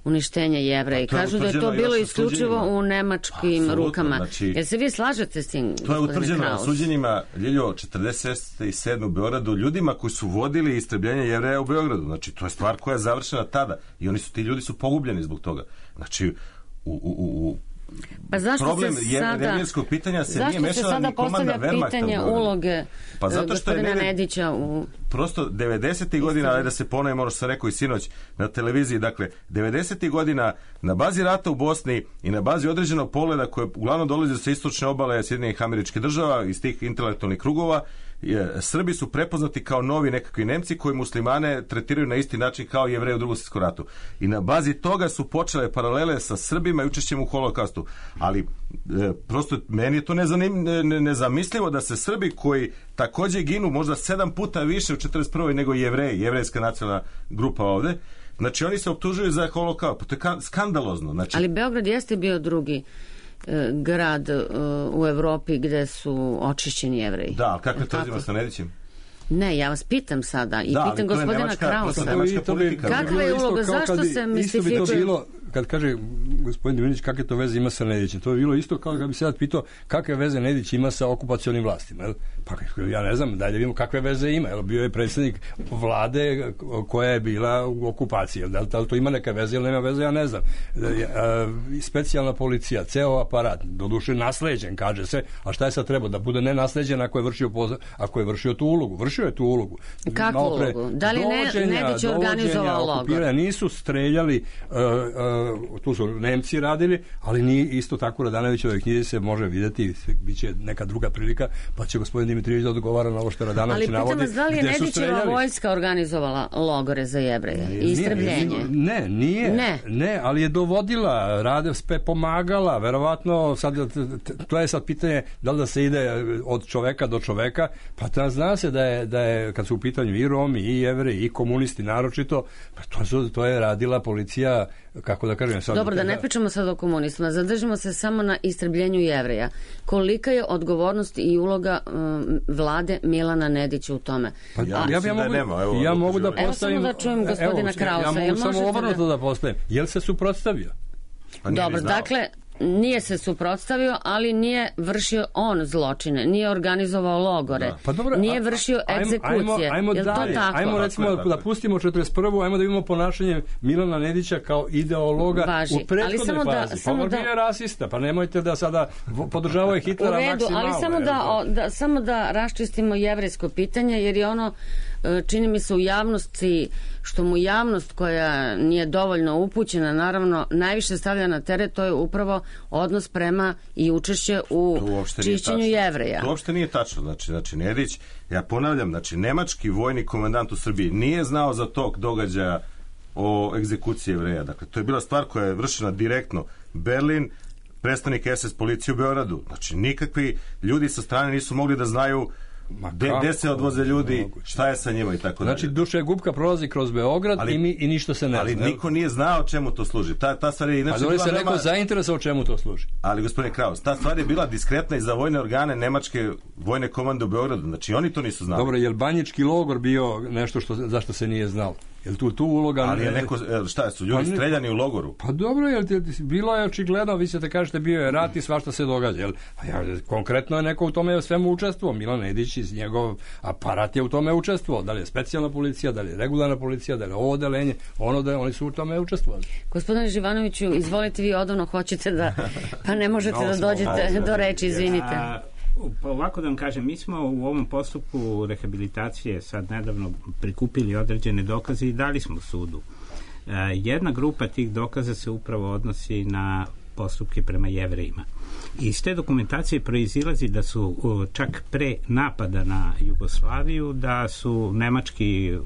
uništenje Jevreja i kažu da je to bilo isključivo u nemačkim rukama. Znači, jel se vi slažete s tim, to je utvrđeno na suđenjima Ljiljo 47. u Beogradu ljudima koji su vodili istrebljenje Jevreja u Beogradu. Znači, to je stvar koja je završena tada i ti ljudi su pogubljeni zbog toga. Znači, pa problem jevrijskog pitanja se nije mešala ni komanda Wehrmachta. Pitanje uloge gospodina Nedića prosto 90. godina, da se ponovimo ono što sam rekao i sinoć na televiziji, dakle 90. godina na bazi rata u Bosni i na bazi određenog pogleda koje uglavnom dolazi sa istočne obale Sjedinjenih Američkih Država iz tih intelektualnih krugova, Srbi su prepoznati kao novi nekakvi Nemci koji muslimane tretiraju na isti način kao Jevreje u Drugom svjetskom ratu. I na bazi toga su počele paralele sa Srbima i učešćem u holokaustu. Ali prosto meni je to nezamislivo da se Srbi koji također ginu možda 7 puta više u 41. nego Jevreji, jevrejska nacionalna grupa ovde, znači oni se optužuju za holokaust. To je skandalozno. Znači, ali Beograd jeste bio drugi grad u Evropi gde su očišćeni Jevreji. Da, ali kako je to uzima sa Nedićem? Ne, ja vas pitam sada i pitam gospodina Krausa. Kakva je uloga, zašto se mistifikuje? Isto bi to bilo, kad kaže gospodin Dimitrijević kakve to veze ima sa Nedićem, to je bilo isto kao kad bi se sad pitao kakve veze Nedić ima sa okupacionim vlastima. Pa ja ne znam, dalje vidimo kakve veze ima. Bio je predsjednik vlade koja je bila u okupaciji. Da li to ima neka veze ili nema veze, ja ne znam. Specijalna policija, ceo aparat, doduše nasleđen, kaže se, a šta je sad trebao? Da bude nenasleđen ako je vršio tu ulogu. Vršio je tu ulogu. Kakvu ulogu? Da li Nedić organizovao logor? Nisu streljali, tu su Nemci radili, ali nije isto tako. Radanovićove knjizi se može vidjeti, bit će neka druga prilika, pa će gospodin Dimitrijević da odgovara na ovo što Radanović navodi. Ali pitam vas, da li je Nedićeva vojska organizovala logore za Jevreje i istrebljenje? Ne, ali je dovodila, pomagala, verovatno, to je sad pitanje da li da se ide od čoveka do čoveka, pa zna se da je kad su u pitanju i Romi, i Jevreji, i komunisti naročito, pa to je radila policija, kako da kažem sad. Dobro, da ne pričamo sad o komunistima, zadržimo se samo na istrebljenju Jevreja. Kolika je odgovornost i uloga vlade Milana Nedića u tome? Pa ja mogu da postavim... Evo samo da čujem gospodina Krausa. Ja mogu samo obrnuto da postavim. Jel se suprotstavio? Dobro, dakle, nije se suprotstavio, ali nije vršio on zločine, nije organizovao logore, pa dobro, nije vršio egzekucije. Ajmo dalje, ajmo recimo da pustimo 41. Ajmo da vidimo ponašanje Milana Nedića kao ideologa u prethodnoj fazi. Pa on bio rasista, pa nemojte da sada podržavaju Hitlera maksimalno. Ali samo da raščistimo jevrejsko pitanje, jer je ono, čini mi se u javnosti, što mu javnost koja nije dovoljno upućena, naravno, najviše stavlja na teret, to je upravo odnos prema i učešće u čišćenju Jevreja. To uopšte nije tačno. Znači, Nedić, ja ponavljam, znači, nemački vojni komandant u Srbiji nije znao za tog događaja o egzekuciji Jevreja. Dakle, to je bila stvar koja je vršena direktno. Berlin, predstavnik SS policije u Beogradu. Znači, nikakvi ljudi sa strane nisu mogli da znaju gde se odvoze ljudi, šta je sa njima i tako dalje. Znači, dušegupka prolazi kroz Beograd i ništa se ne zna. Ali niko nije znao čemu to služi. Ta stvar je inače bila... se neko zainteresovao čemu to služi. Ali, gospodine Kraus, ta stvar je bila diskretna i za vojne organe nemačke vojne komande u Beogradu. Znači, oni to nisu znali. Dobro, je li banjički logor bio nešto zašto se nije znalo? Je li tu uloga... Ali je neko, šta su ljudi streljani u logoru? Pa dobro, bilo je očigledno, vi ćete kažete bio je rat i svašta se događa. Konkretno je neko u tome svemu učestvovao. Milan Nedić iz njegov aparat je u tome učestvovao. Da li je specijalna policija, da li je regularna policija, da li je ovo odeljenje, oni su u tome učestvovali. Gospodine Živanoviću, izvolite, vi odavno hoćete da... Pa ne možete da dođete do reči, izvinite. Pa ovako da vam kažem, mi smo u ovom postupku rehabilitacije sad nedavno prikupili određene dokaze i dali smo sudu. Jedna grupa tih dokaza se upravo odnosi na postupke prema Jevrejima. Iz te dokumentacije proizilazi da su čak pre napada na Jugoslaviju, da su nemački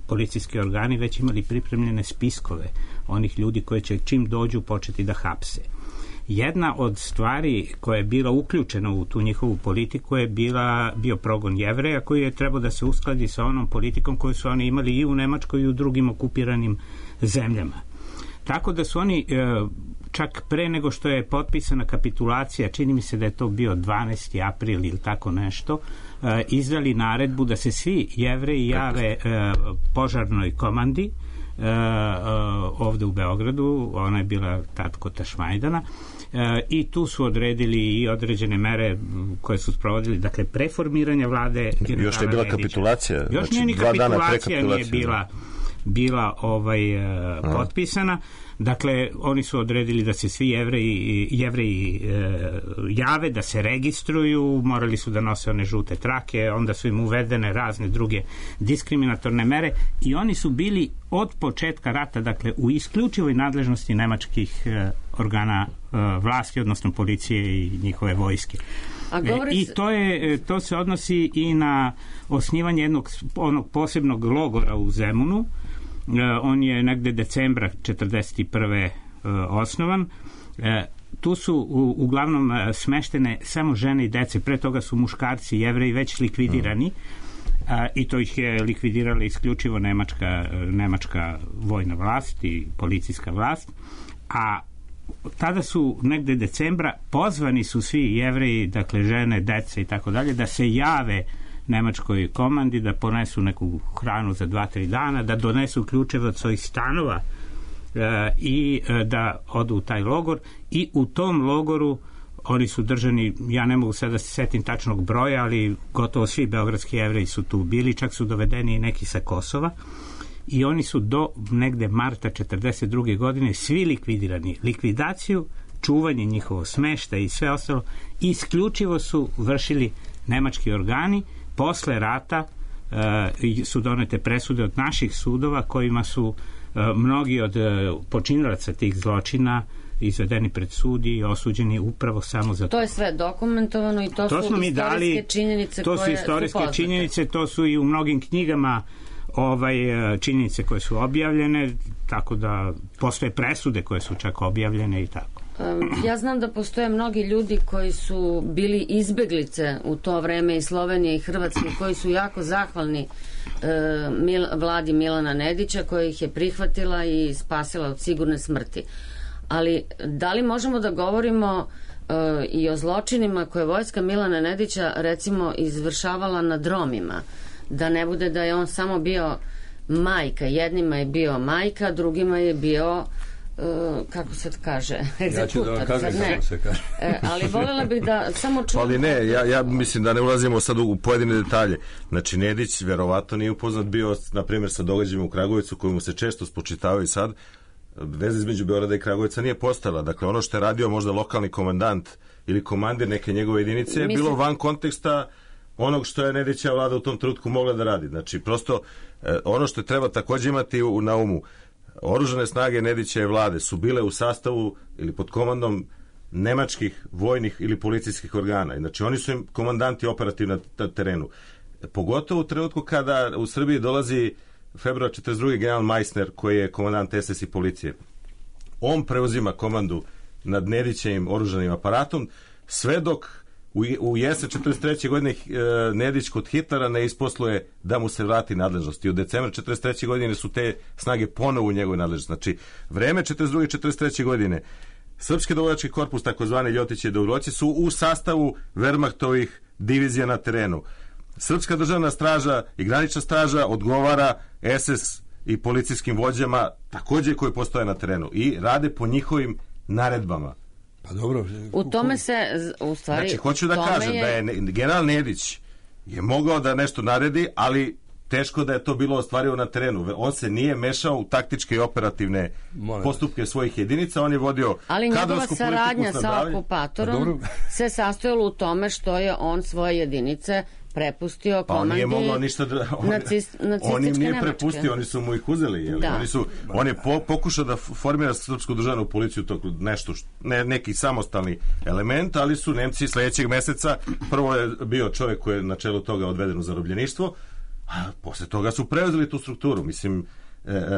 policijski organi već imali pripremljene spiskove onih ljudi koji će čim dođu početi da hapse. Jedna od stvari koja je bila uključena u tu njihovu politiku je bio progon Jevreja, koji je trebao da se uskladi sa onom politikom koju su oni imali i u Nemačkoj i u drugim okupiranim zemljama. Tako da su oni čak pre nego što je potpisana kapitulacija, čini mi se da je to bio 12. april ili tako nešto, izdali naredbu da se svi Jevreji jave požarnoj komandi ovde u Beogradu, ona je bila tad kod Tašmajdana, i tu su odredili i određene mere koje su sprovodili, dakle preformiranje vlade. Još je bila kapitulacija. Još nije ni kapitulacija nije bila potpisana. Dakle, oni su odredili da se svi Jevreji jave, da se registruju, morali su da nose one žute trake, onda su im uvedene razne druge diskriminatorne mere i oni su bili od početka rata, dakle, u isključivoj nadležnosti nemačkih organa vlasti, odnosno policije i njihove vojske. I to se odnosi i na osnivanje onog posebnog logora u Zemunu. On je negde decembra 1941. osnovan. Tu su uglavnom smeštene samo žene i dece. Pre toga su muškarci Jevreji već likvidirani i to ih je likvidirala isključivo nemačka vojna vlast i policijska vlast. A tada su negde decembra pozvani su svi Jevreji, dakle žene, dece i tako dalje, da se jave nemačkoj komandi, da ponesu neku hranu za 2-3 dana, da donesu ključeve od svojih stanova i da odu u taj logor. I u tom logoru oni su držani, ja ne mogu sad da se setim tačnog broja, ali gotovo svi beogradski Jevreji su tu bili, čak su dovedeni i neki sa Kosova i oni su do negde marta 1942. godine svi likvidirani. Likvidaciju, čuvanje njihovo smešta i sve ostalo isključivo su vršili nemački organi. Posle rata su donete presude od naših sudova kojima su mnogi od počinilaca tih zločina izvedeni pred sud i osuđeni upravo samo za to. To je sve dokumentovano i to su istorijske činjenice koje su poznate. To su istorijske činjenice, to su i u mnogim knjigama činjenice koje su objavljene, tako da postoje presude koje su čak objavljene i tako. Ja znam da postoje mnogi ljudi koji su bili izbeglice u to vreme i Slovenije i Hrvatske, koji su jako zahvalni vladi Milana Nedića koja ih je prihvatila i spasila od sigurne smrti. Ali da li možemo da govorimo i o zločinima koje vojska Milana Nedića recimo izvršavala nad Romima? Da ne bude da je on samo bio majka. Jednima je bio majka, drugima je bio kako se kaže, egzekutor. Ja ću da vam kažem kako se kaže. Ali voljela bih da samo čujem... Ali ne, ja mislim da ne ulazimo sad u pojedine detalje. Znači, Nedić verovatno nije upoznat bio, na primjer, sa događajima u Kragujevcu, koji mu se često spočitavaju sad. Veza između Beograda i Kragujevca nije postojala. Dakle, ono što je radio možda lokalni komandant ili komandir neke njegove jedinice je bilo van konteksta onog što je Nedićeva vlada u tom trenutku mogla da radi. Znači, prosto, ono što treba takođe imati na umu, oružane snage Nedićeve vlade su bile u sastavu ili pod komandom nemačkih vojnih ili policijskih organa. Znači, oni su im komandanti operativni na terenu. Pogotovo u trenutku kada u Srbiji dolazi februar 42. general Meissner, koji je komandant SS i policije. On preuzima komandu nad Nedićevim oružanim aparatom, sve dok u jesen 43. godine Nedić kod Hitlera ne isposluje da mu se vrati nadležnost. I od decembra 43. godine su te snage ponovo u njegovoj nadležnosti. Znači, vreme 42. i 43. godine Srpski dobrovoljački korpus, takozvani Ljotiće i Dobrovoljci, su u sastavu Wehrmachtovih divizija na terenu. Srpska državna straža i granična straža odgovara SS i policijskim vođama takođe koji postoje na terenu i rade po njihovim naredbama. Pa dobro. U tome se, u stvari... Znači, hoću da kažem da je general Nedić je mogao da nešto naredi, ali teško da je to bilo ostvarivo na terenu. On se nije mešao u taktičke i operativne postupke svojih jedinica, on je vodio kadrovsku politiku. Ali njegova saradnja sa okupatorom se sastojala u tome što je on svoje jedinice prepustio komandi on im nije prepustio, oni su mu ih uzeli. On je pokušao da formira srpsku državnu policiju, nešto, neki samostalni element, ali su Nemci sledećeg meseca, prvo je bio čovjek koji je na čelu toga odveden u zarobljeništvo, a posle toga su preuzeli tu strukturu. Mislim,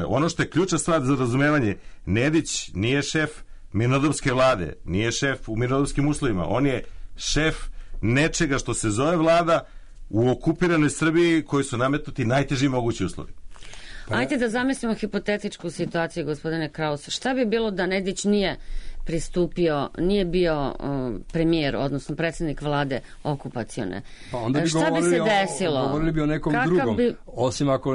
ono što je ključna stvar za razumevanje, Nedić nije šef mirnodopske vlade, nije šef u mirnodopskim uslovima, on je šef nečega što se zove vlada u okupiranoj Srbiji koji su nametnuti najteži mogući uslovi. Ajde da zamislimo hipotetičku situaciju, gospodine Kraus. Šta bi bilo da Nedić nije pristupio, nije bio premijer, odnosno predsjednik vlade okupacione? Pa onda bi šta bi se desilo? Govorili bi o nekom drugom, osim ako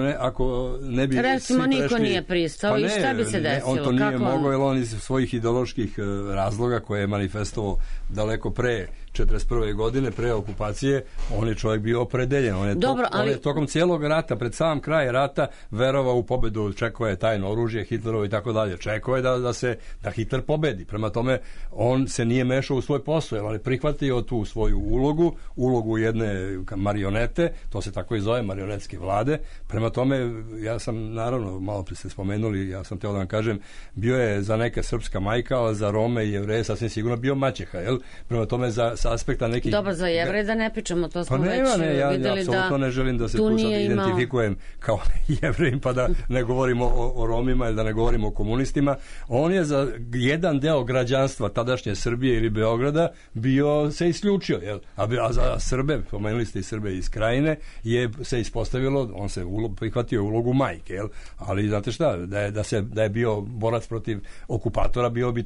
ne bi recimo svi niko nije pristao i šta bi se desilo? On to nije mogao, jer on iz svojih ideoloških razloga koje je manifestovao daleko pre 41. godine, pre okupacije, on je čovjek bio opredeljen. On je tokom cijelog rata, pred sam kraj rata, verovao u pobedu, čekao je tajno oružje Hitlerovo i tako dalje. Čekao je da Hitler pobedi. Prema tome, on se nije mešao u svoj posao, jer on je prihvatio tu svoju ulogu jedne marionete, to se tako i zove, marionetske vlade. Prema tome, ja sam, naravno, malo prije ste spomenuli, ja sam teo da vam kažem, bio je za neke srpska majka, ali za Rome i Jevreje sasvim sigurno bio maćeha, jel? Prema tome, sa aspekta nekih... Dobro, za Jevreje da ne pričamo, to smo već videli ja apsolutno ne želim da se tu sad identifikujem kao Jevrejim, pa da ne govorimo o Romima ili da ne govorimo o komunistima. On je za jedan deo građanstva tadašnje Srbije ili Beograda se isključio, jel? A za Srbe, pomenuli ste i Srbe iz Krajine, se ispostavilo, on se prihvatio ulogu majke, jel? Ali znate šta, da je bio borac protiv okupatora, bio bi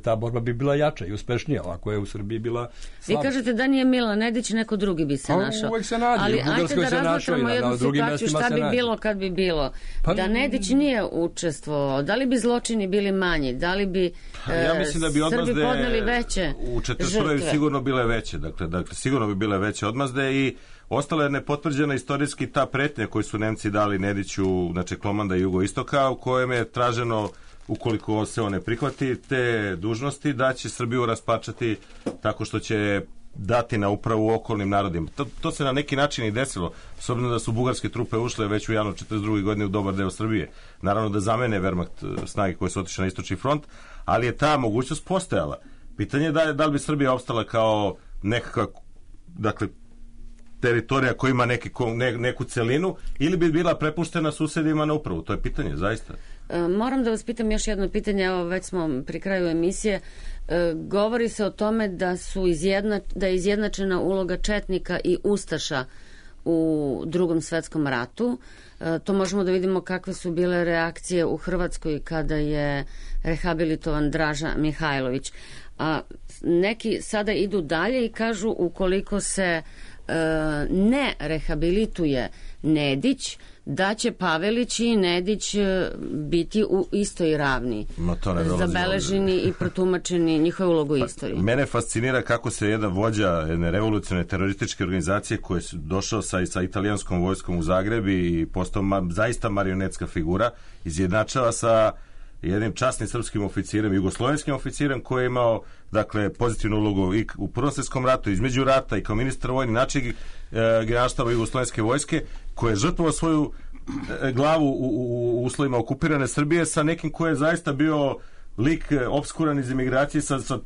ta borba bi bila jača i uspešnija, ako je u Srbiji bila slaba. Vi kažete da nije Milan Nedić, neko drugi bi se našao. Uvijek se nađe, ali ajde da razmatramo jednu situaciju, šta bi bilo kad bi bilo. Da Nedić nije učestvovao, da li bi zločini bili manji, da li bi ja mislim da bi Srbi podneli veće u 41. sigurno bile veće, dakle sigurno bi bile veće odmazde i ostala je nepotvrđena istorijski ta pretnja koju su Nemci dali Nediću, znači komanda jugoistoka, u kojem je traženo, ukoliko se on ne prihvati te dužnosti, da će Srbiju raspačati tako što će dati na upravu okolnim narodima. To se na neki način i desilo, s obzirom da su bugarske trupe ušle već u januar 42. godine u dobar deo Srbije. Naravno da zamene Wehrmacht snage koje su otišle na istočni front, ali je ta mogućnost postojala. Pitanje je da li bi Srbija opstala kao nekakva, dakle, teritorija koja ima neku celinu, ili bi bila prepuštena susedima na upravu. To je pitanje, zaista. Moram da vas pitam još jedno pitanje, evo već smo pri kraju emisije. Govori se o tome da je izjednačena uloga četnika i ustaša u Drugom svetskom ratu. To možemo da vidimo kakve su bile reakcije u Hrvatskoj kada je rehabilitovan Draža Mihajlović. A neki sada idu dalje i kažu ukoliko se ne rehabilituje Nedić, da će Pavelić i Nedić biti u istoj ravni, zabeleženi i protumačeni njihove ulogu u istoriji. Mene fascinira kako se jedan vođa jedne revolucionarne terorističke organizacije koji je došao sa italijanskom vojskom u Zagreb i postao zaista marionetska figura, izjednačava sa jednim časnim srpskim oficirem, jugoslovenskim oficirem koji je imao, dakle, pozitivnu ulogu i u Prvom svjetskom ratu, između rata i kao ministar vojni način generalštaba jugoslovenske vojske, koji je žrtvovao svoju glavu u uslovima okupirane Srbije sa nekim koji je zaista bio lik obskuran iz emigracije sa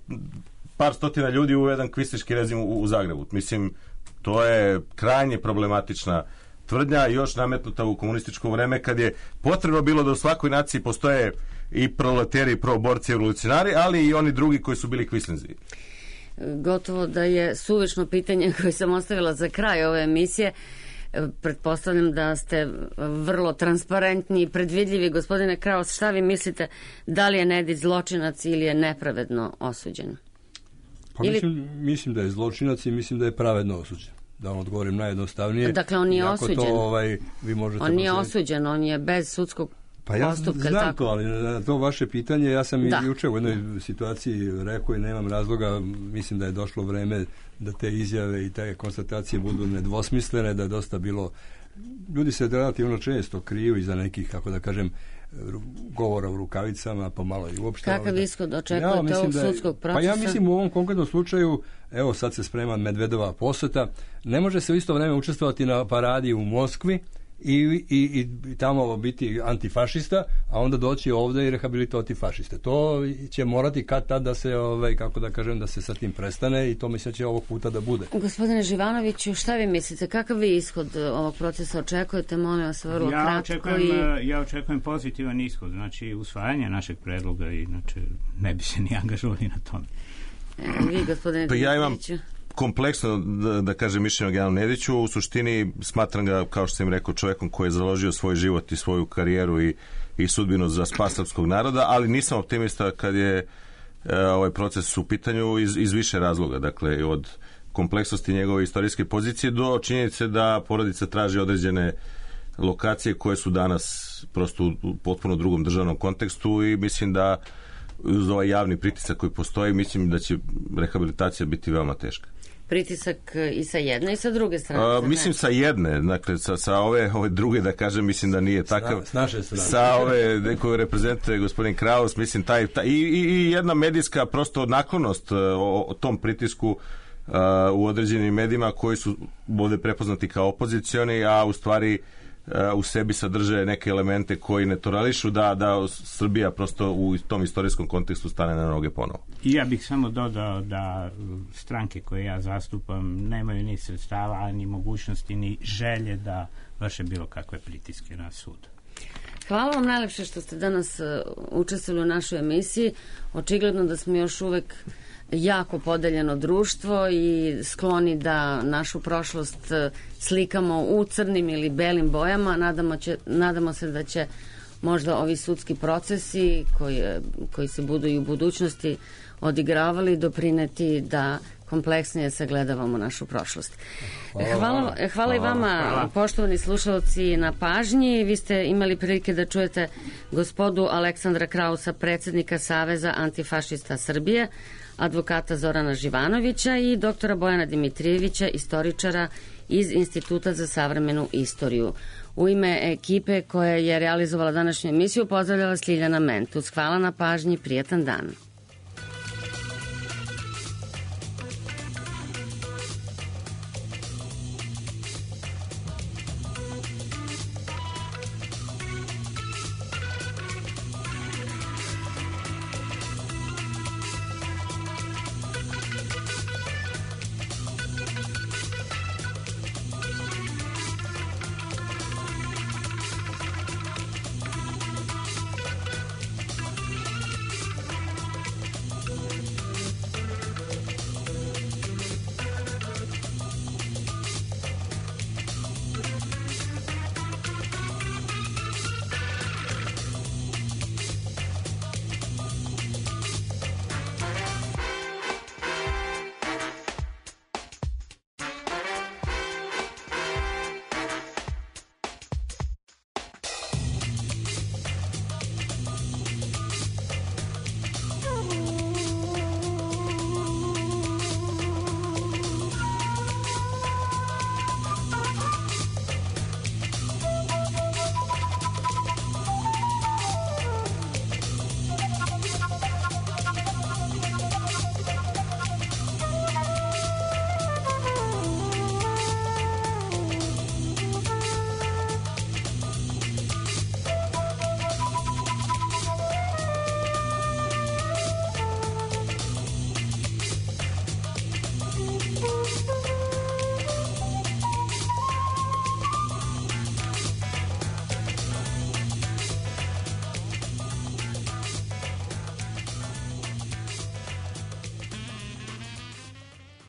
par stotina ljudi u jedan kvistiški rezim u Zagrebu. Mislim, to je krajnje problematična tvrdnja, još nametnuta u komunističko vreme kad je potrebno bilo da u svakoj naciji postoje i proleteri, i proborci, i revolucionari, ali i oni drugi koji su bili kvislinzi. Gotovo da je suvišno pitanje koje sam ostavila za kraj ove emisije. Pretpostavljam da ste vrlo transparentni i predvidljivi. Gospodine Kraus, šta vi mislite, da li je Nedić zločinac ili je nepravedno osuđen? Pa mislim da je zločinac i mislim da je pravedno osuđen. Da vam odgovorim najjednostavnije. Dakle, on nije osuđen. Vi možete on nije osuđen, on je bez sudskog pa ja postupka. Znam tako? To, ali na to vaše pitanje ja sam i juče u jednoj situaciji rekao i nemam razloga, mislim da je došlo vreme da te izjave i te konstatacije budu nedvosmislene, da je dosta bilo, ljudi se relativno često kriju iza nekih, kako da kažem, govora u rukavicama, pa malo i uopšte. Kakav ishod očekujete ovog sudskog procesa? Pa ja mislim u ovom konkretnom slučaju, evo sad se sprema Medvedova poseta, ne može se u isto vreme učestvovati na paradi u Moskvi i tamo biti antifašista, a onda doći ovde i rehabilitovati fašiste. To će morati kad tad da se, kako da kažem, da se sa tim prestane i to mislim će ovog puta da bude. Gospodine Živanoviću, šta vi mislite? Kakav vi ishod ovog procesa očekujete? Molim vas, vrlo kratko. Ja očekujem pozitivan ishod, znači usvajanje našeg predloga i znači ne bi se ni angažovali na tome. Vi, gospodine pa ja imam kompleksno, da kažem, mišljenje o generalnom Nediću. U suštini smatram ga, kao što sam im rekao, čovjekom koji je založio svoj život i svoju karijeru i sudbinu za spas srpskog naroda, ali nisam optimista kad je ovaj proces u pitanju iz više razloga. Dakle, od kompleksnosti njegove istorijske pozicije do činjenice da porodica traži određene lokacije koje su danas prosto u potpuno drugom državnom kontekstu i mislim da uz ovaj javni pritisak koji postoji, mislim da će rehabilitacija biti veoma teška. Pritisak i sa jedne i sa druge strane? Mislim sa jedne, dakle sa ove druge, da kažem, mislim da nije takav. S naše strane. Sa ove koje reprezentuje gospodin Kraus, mislim i jedna medijska prosto naklonost o tom pritisku u određenim medijima koji su ovde prepoznati kao opozicioni, a u stvari u sebi sadrže neke elemente koji ne tolerišu da Srbija prosto u tom istorijskom kontekstu stane na noge ponovo. I ja bih samo dodao da stranke koje ja zastupam nemaju ni sredstava, ni mogućnosti, ni želje da vrše bilo kakve pritiske na sud. Hvala vam najlepše što ste danas učestvovali u našoj emisiji. Očigledno da smo još uvek jako podeljeno društvo i skloni da našu prošlost slikamo u crnim ili belim bojama. Nadamo se da će možda ovi sudski procesi koji se budu i u budućnosti odigravali doprineti da kompleksnije sagledavamo našu prošlost. Hvala i vama, poštovani slušalci, na pažnji. Vi ste imali prilike da čujete gospodu Aleksandra Krausa, predsjednika Saveza antifašista Srbije, advokata Zorana Živanovića i doktora Bojana Dimitrijevića, istoričara iz Instituta za savremenu istoriju. U ime ekipe koja je realizovala današnju emisiju pozdravljala Sliljana Mentus. Hvala na pažnji, prijatan dan.